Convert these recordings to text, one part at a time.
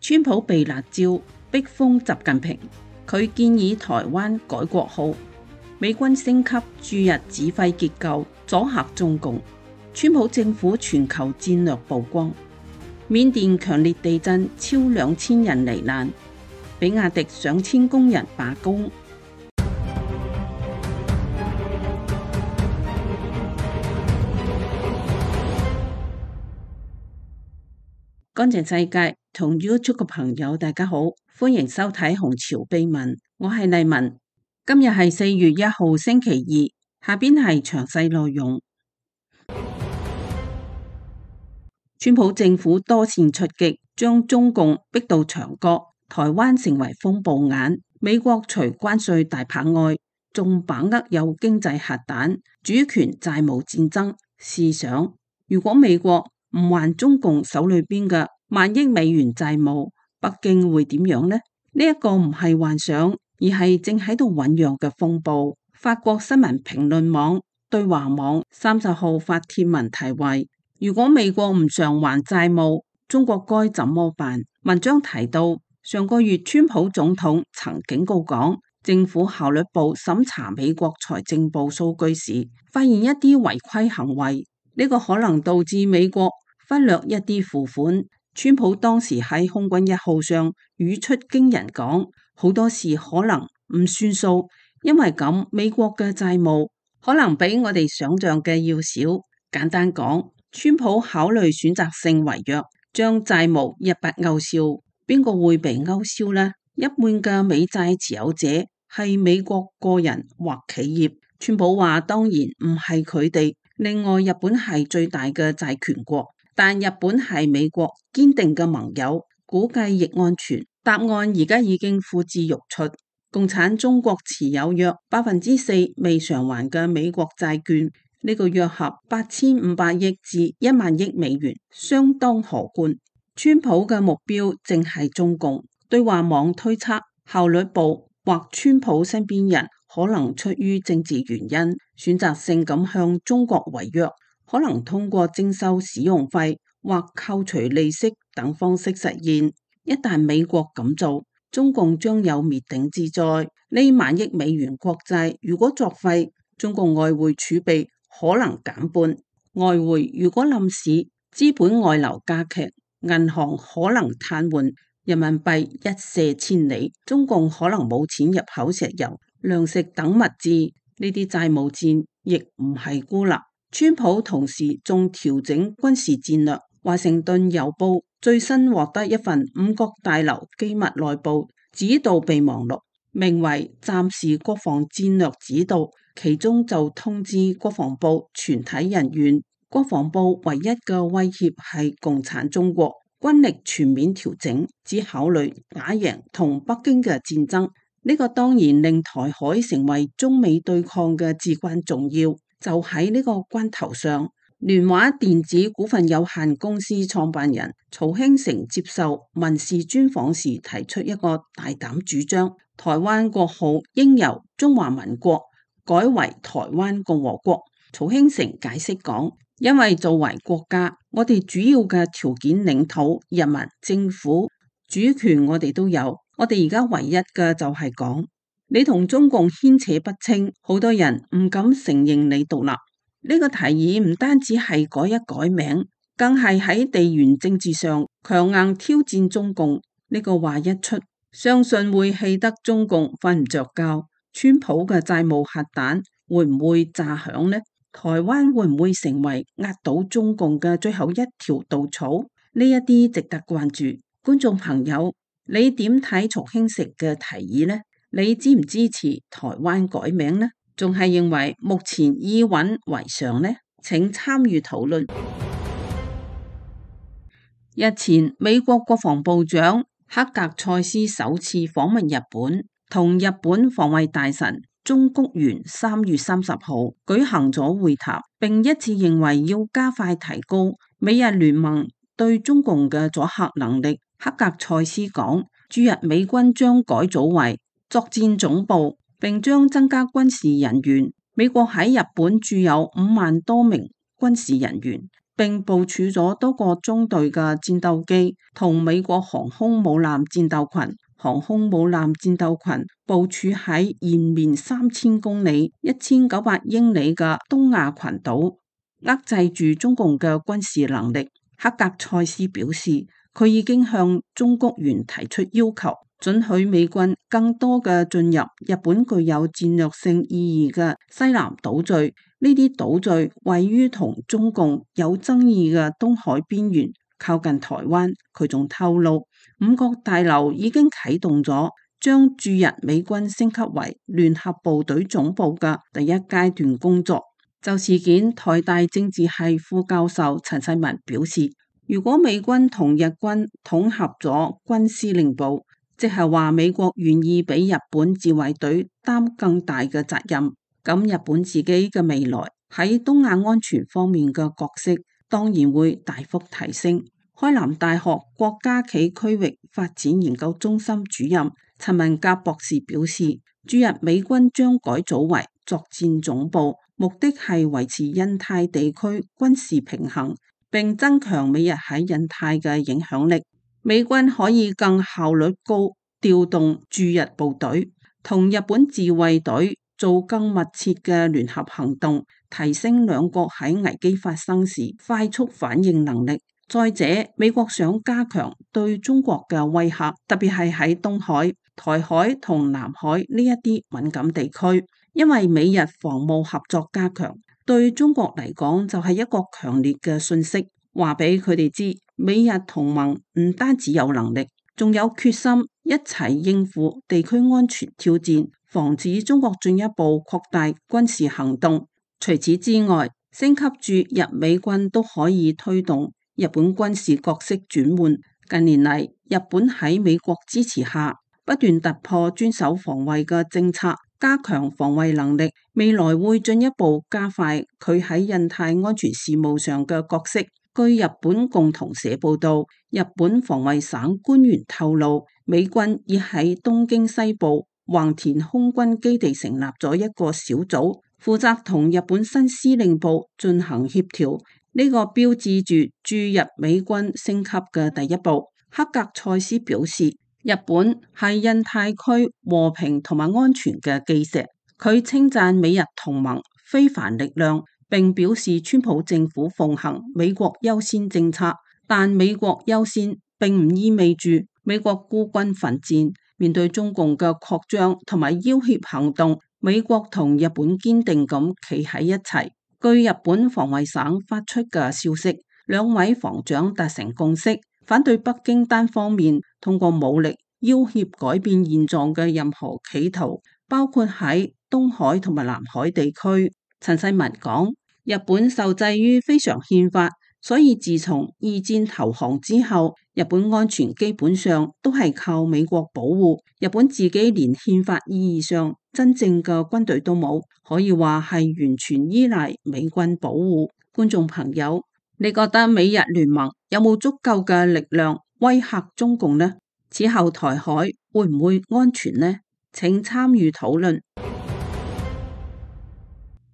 川普被辣椒逼封習近平，佢建議台灣改國號，美軍升級駐日指揮結構，阻嚇中共。川普政府全球戰略曝光。緬甸強烈地震，超2000人罹難，比亞迪上千工人罷工。乾淨世界同 YouTube 嘅朋友大家好，歡迎收睇紅潮秘聞，我係麗文。今日係4月1號星期二，下邊係詳細內容。川普政府多線出擊，將中共逼到牆角，台灣成為風暴眼。美國除關稅大拍外，仲把握有經濟核彈、主權債務戰爭。試想，如果美國唔還中共手裏邊嘅萬億美元債務，北京會點樣呢？呢一個唔係幻想，而係正喺度醞釀嘅風暴。法國新聞評論網對華網30號發帖文題為：如果美國唔償還債務，中國該怎麼辦？文章提到，上個月川普總統曾警告講，政府效率部審查美國財政部數據時，發現一啲違規行為，呢個可能導致美國忽略一啲付款。川普當時喺空軍1號上語出驚人講，好多事可能唔算數，因為咁美國嘅債務可能比我哋想象嘅要少。簡單講，川普考慮選擇性違約，將債務一筆勾銷。邊個會被勾銷呢？一半嘅美債持有者係美國個人或企業。川普話當然唔係佢哋。另外，日本係最大嘅債權國，但日本係美國堅定嘅盟友，估計亦安全。答案而家已經呼之欲出。共產中國持有約4%未償還嘅美國債券，呢個約合8500億至1萬億美元，相當可觀。川普嘅目標正係中共。對華網推測，效率部或川普身邊人可能出於政治原因，選擇性咁向中國違約，可能通過徵收使用費或扣除利息等方式實現。一旦美國咁做，中共將有滅頂之災。呢萬億美元國債如果作廢，中共外匯儲備可能減半。外匯如果冧市，資本外流加劇，銀行可能癱瘓，人民幣一瀉千里，中共可能冇錢入口石油、糧食等物資。呢啲債務戰亦唔係孤立。川普同時仲調整軍事戰略。華盛頓郵報最新獲得一份5角大樓機密內部指導備忘錄，名為暫時國防戰略指導，其中就通知國防部全體人員，國防部唯一嘅威脅係共產中國，軍力全面調整，只考慮打贏同北京嘅戰爭。呢個當然令台海成為中美對抗嘅至關重要。就喺呢個關頭上，聯華電子股份有限公司創辦人曹興誠接受民視專訪時提出一個大膽主張，台灣國號應由中華民國改為台灣共和國。曹興誠解釋講，因為作為國家，我哋主要嘅條件領土、人民、政府、主權我哋都有，我哋而家唯一嘅就係講，你同中共牽扯不清，好多人唔敢承認你獨立。呢個提議唔單止係改一改名，更係喺地緣政治上強硬挑戰中共。呢個話一出，相信會氣得中共瞓唔着覺。川普嘅債務核彈會唔會炸響呢？台灣會唔會成為壓倒中共嘅最後一條稻草？呢一啲值得關注。觀眾朋友，你點睇曹興誠嘅提議呢？你支唔支持台灣改名呢？仲係認為目前以穩為上呢？請參與討論。日前，美國國防部長克格塞斯首次訪問日本，同日本防衛大臣中谷元3月30號舉行咗會談，並一致認為要加快提高美日聯盟對中共嘅阻嚇能力。克格塞斯講，駐日美軍將改組為作戰總部，並將增加軍事人員。美國喺日本駐有5萬多名軍事人員，並部署咗多個中隊嘅戰鬥機同美國航空母艦戰鬥群。航空母艦戰鬥群部署喺延綿3000公里、1900英里嘅東亞群島，遏制住中共嘅軍事能力。克格塞斯表示，佢已經向中國元提出要求，准許美軍更多嘅進入日本具有戰略性意義嘅西南島嶼。呢啲島嶼位於同中共有爭議嘅東海邊緣，靠近台灣。佢仲透露，五角大樓已經啟動咗將駐日美軍升級為聯合部隊總部嘅第一階段工作。就事件，台大政治系副教授陳世文表示，如果美軍同日軍統合咗軍司令部，即係話美國願意俾日本自衛隊擔更大嘅責任，咁日本自己嘅未來喺東亞安全方面嘅角色當然會大幅提升。開南大學國家暨區域發展研究中心主任陳文甲博士表示，駐日美軍將改組為作戰總部，目的係維持印太地區軍事平衡，並增強美日喺印太嘅影響力。美軍可以更效率高調動駐日部隊，同日本自衛隊做更密切嘅聯合行動，提升兩國喺危機發生時快速反應能力。再者，美國想加強對中國嘅威嚇，特別係喺東海、台海同南海呢一啲敏感地區，因為美日防務合作加強，對中國嚟講就係一個強烈嘅訊息，話俾佢哋知，美日同盟唔單止有能力，仲有決心一齊應付地區安全挑戰，防止中國進一步擴大軍事行動。除此之外，升級駐日美軍都可以推動日本軍事角色轉換。近年嚟，日本喺美國支持下，不斷突破專守防衛嘅政策，加強防衛能力，未來會進一步加快佢喺印太安全事務上嘅角色。據日本共同社報道，日本防衛省官員透露，美軍已喺東京西部橫田空軍基地成立咗一個小組，負責同日本新司令部進行協調。呢個標誌住駐日美軍升級嘅第一步。克格塞斯表示，日本係印太區和平同埋安全嘅基石。佢稱讚美日同盟非凡力量，並表示川普政府奉行美國優先政策，但美國優先並唔意味住美國孤軍奮戰。面對中共嘅擴張同埋要挾行動，美國同日本堅定咁企喺一齊。據日本防衛省發出嘅消息，兩位防長達成共識，反對北京單方面通過武力要挾改變現狀嘅任何企圖，包括喺東海同埋南海地區。陳世文講，日本受制於非常憲法，所以自從二戰投降之後，日本安全基本上都係靠美國保護，日本自己連憲法意義上真正嘅軍隊都冇，可以話係完全依賴美軍保護。觀眾朋友，你覺得美日聯盟有冇足夠嘅力量威嚇中共呢？此後台海會唔會安全呢？請參與討論。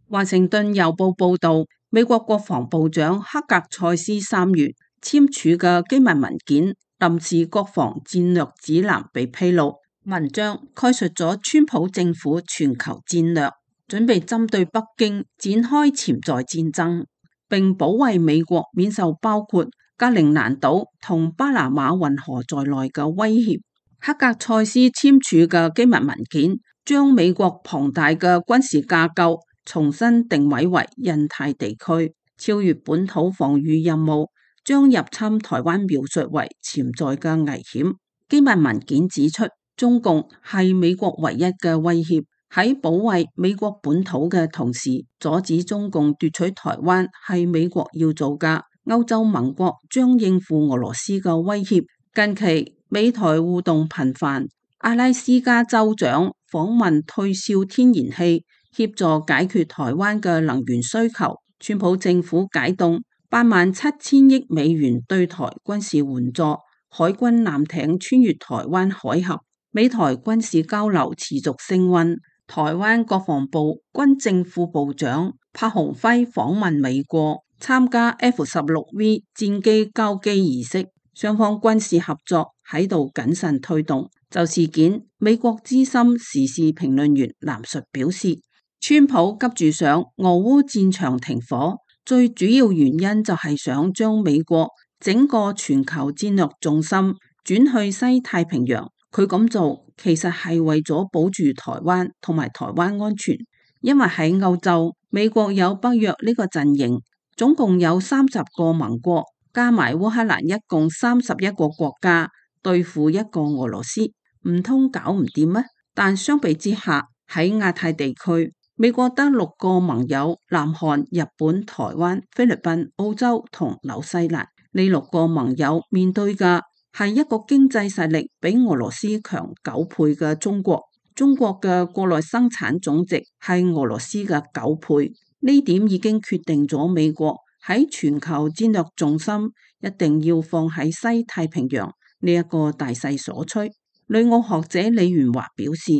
華盛頓郵報報道，美國國防部長克格塞斯3月簽署嘅機密文件臨時國防戰略指南被披露，文章概述咗川普政府全球戰略，準備針對北京展開潛在戰爭，並保衛美國免受包括格陵蘭島同巴拿馬運河在內嘅威脅。克格塞斯簽署嘅機密文件將美國龐大嘅軍事架構重新定位為印太地區，超越本土防禦任務，將入侵台灣描述為潛在嘅危險。機密文件指出，中共係美國唯一嘅威脅，喺保衛美國本土嘅同時，阻止中共奪取台灣係美國要做嘅。歐洲盟國將應付俄羅斯嘅威脅。近期美台互動頻繁，阿拉斯加州長訪問退燒天然氣，協助解決台灣嘅能源需求。川普政府解凍87000億美元對台軍事援助，海軍艦艇穿越台灣海峽，美台軍事交流持續升溫。台灣國防部軍政副部長柏鴻輝訪問美國，參加 F-16V 戰機交機儀式，雙方軍事合作喺度謹慎推動。就事件，美國資深時事評論員藍述表示，川普急住想俄烏戰場停火，最主要原因就係想將美國整個全球戰略重心轉去西太平洋。佢咁做其實係為咗保住台灣同埋台灣安全，因為喺歐洲，美國有北約呢個陣營，總共有30個盟國，加埋烏克蘭一共31個國家對付一個俄羅斯，唔通搞唔掂咩？但相比之下，喺亞太地區，美國得6個盟友：南韓、日本、台灣、菲律賓、澳洲同紐西蘭。呢6個盟友面對嘅係一個經濟實力比俄羅斯強9倍嘅中國。中國嘅國內生產總值係俄羅斯嘅9倍，呢點已經決定咗美國喺全球戰略重心一定要放喺西太平洋呢一個大勢所趨。旅澳學者李元華表示，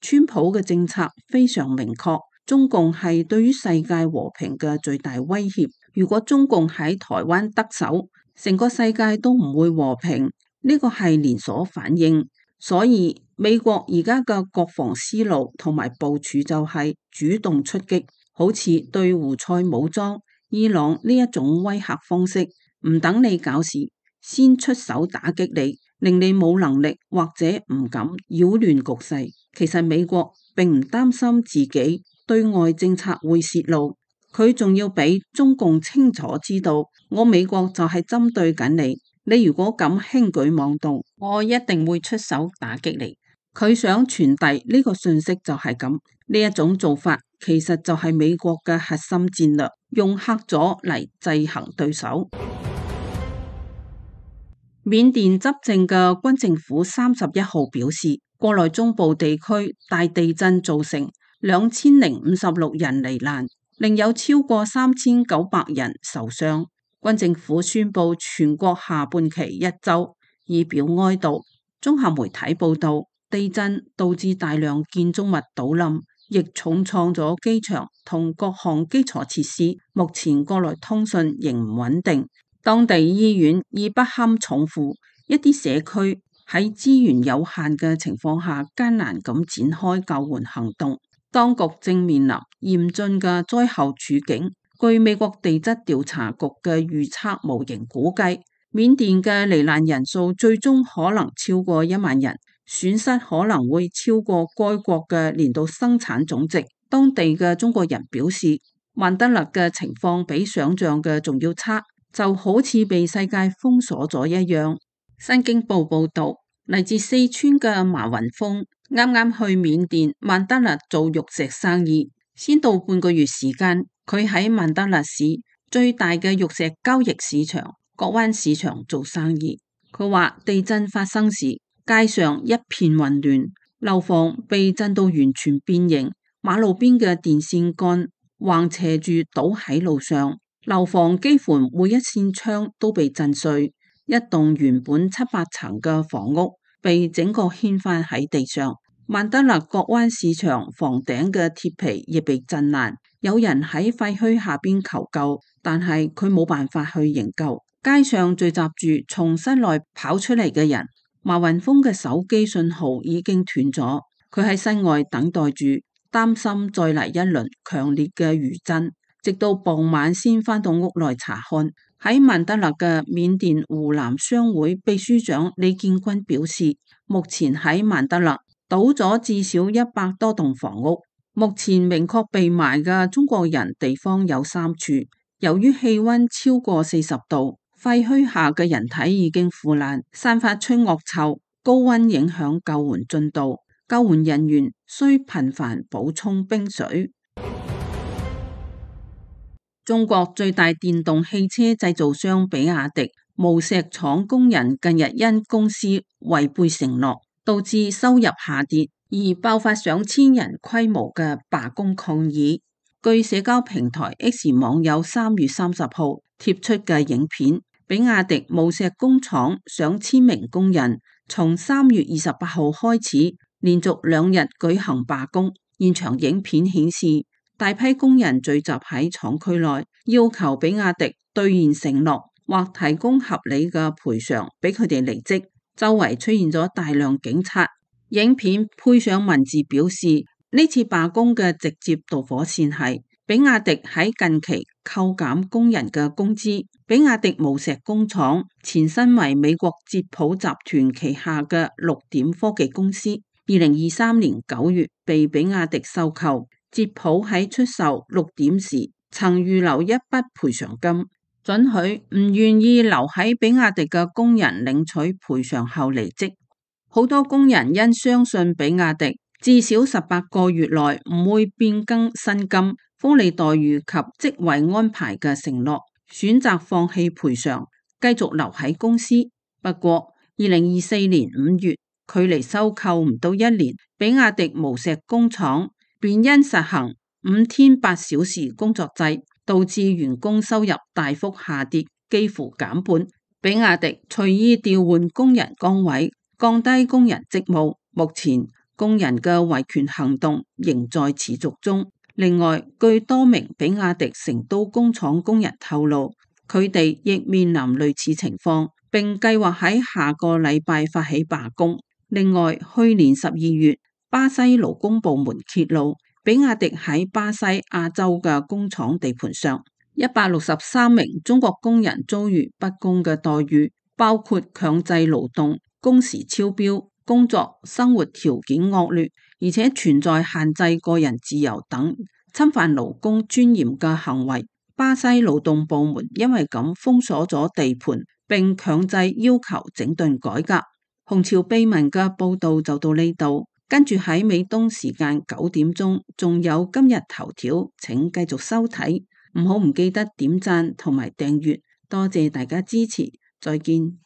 川普嘅政策非常明確，中共係對於世界和平嘅最大威脅。如果中共喺台灣得手，成個世界都唔會和平，呢個係連鎖反應。所以美國而家嘅國防思路同埋部署就係主動出擊，好似對胡塞武裝、伊朗呢一種威嚇方式，唔等你搞事，先出手打擊你，令你冇能力或者唔敢擾亂局勢。其實美國並唔擔心自己對外政策會洩露，佢仲要俾中共清楚知道，我美國就係針對緊你，你如果敢輕舉妄動，我一定會出手打擊你。佢想傳遞呢個訊息就係咁，呢一種做法其實就係美國嘅核心戰略，用嚇阻嚟制衡對手。緬甸執政嘅軍政府31號表示，國內中部地區大地震造成2056人罹難，另有超過3900人受傷。軍政府宣布全國下半旗1週，以表哀悼。綜合媒體報道，地震導致大量建築物倒冧，亦重創咗機場同各項基礎設施。目前國內通訊仍唔穩定，當地醫院已不堪重負，一啲社區喺資源有限嘅情況下艱難咁展開救援行動。當局正面臨嚴峻嘅災後處境。據美國地質調查局嘅預測模型估計，緬甸嘅罹難人數最終可能超過1萬人，損失可能會超過該國嘅年度生產總值。當地嘅中國人表示，曼德勒嘅情況比想象嘅仲要差，就好似被世界封鎖咗一樣。新京報報道，嚟自四川嘅馬雲峰啱啱去緬甸曼德勒做玉石生意，先到半個月時間，佢喺曼德勒市最大嘅玉石交易市場角灣市場做生意。佢話地震發生時，街上一片混亂，樓房被震到完全變形，馬路邊嘅電線桿橫斜住倒喺路上，樓房幾乎每一扇窗都被震碎。一棟原本700層嘅房屋被整個掀翻喺地上。曼德勒角灣市場房頂嘅鐵皮亦被震爛，有人喺廢墟下邊求救，但係佢冇辦法去營救。街上聚集住從室內跑出嚟嘅人。馬雲峰嘅手機信號已經斷咗，佢喺室外等待住，擔心再嚟一輪強烈嘅餘震，直到傍晚先返到屋內查看。喺曼德勒嘅緬甸湖南商會秘書長李建軍表示，目前喺曼德勒倒咗至少100多棟房屋，目前明確被埋嘅中國人地方有3處。由於氣溫超過40度，廢墟下嘅人體已經腐爛，散發出惡臭，高溫影響救援進度，救援人員需頻繁補充冰水。中國最大電動汽車製造商比亞迪無錫廠工人近日因公司違背承諾，導致收入下跌，而爆發上千人規模嘅罷工抗議。據社交平台 X 網友3月30號貼出嘅影片，比亞迪無錫工廠上千名工人從3月28號開始，連續2日舉行罷工。現場影片顯示，大批工人聚集喺廠區內，要求比亞迪兌現承諾或提供合理嘅賠償俾佢哋離職。周圍出現咗大量警察。影片配上文字表示，呢次罷工嘅直接導火線係比亞迪喺近期扣減工人嘅工資。比亞迪無錫工廠前身為美國捷普集團旗下嘅綠點科技公司，2023年9月被比亞迪收購。捷普喺出售綠點時曾預留一筆賠償金，准許唔願意留喺比亞迪嘅工人領取賠償後離職。好多工人因相信比亞迪至少18個月內唔會變更薪金、福利待遇及職位安排嘅承諾，選擇放棄賠償，繼續留喺公司。不過2024年5月，距離收購唔到1年，比亞迪無錫工廠便因實行5天8小時工作制，導致員工收入大幅下跌，幾乎減半。比亞迪隨意調換工人崗位，降低工人職務。目前工人嘅維權行動仍在持續中。另外，據多名比亞迪成都工廠工人透露，佢哋亦面臨類似情況，並計劃喺下個禮拜發起罷工。另外，去年12月，巴西勞工部門揭露，比亞迪喺巴西亞洲嘅工廠地盤上，163名中國工人遭遇不公嘅待遇，包括強制勞動、工時超標、工作生活條件惡劣，而且存在限制個人自由等侵犯勞工尊嚴嘅行為。巴西勞動部門因為咁封鎖咗地盤，並強制要求整頓改革。紅潮秘聞嘅報道就到呢度，跟住喺美東時間9點鐘仲有今日頭條，請繼續收睇，唔記得點讚同埋訂閱，多謝大家支持，再見。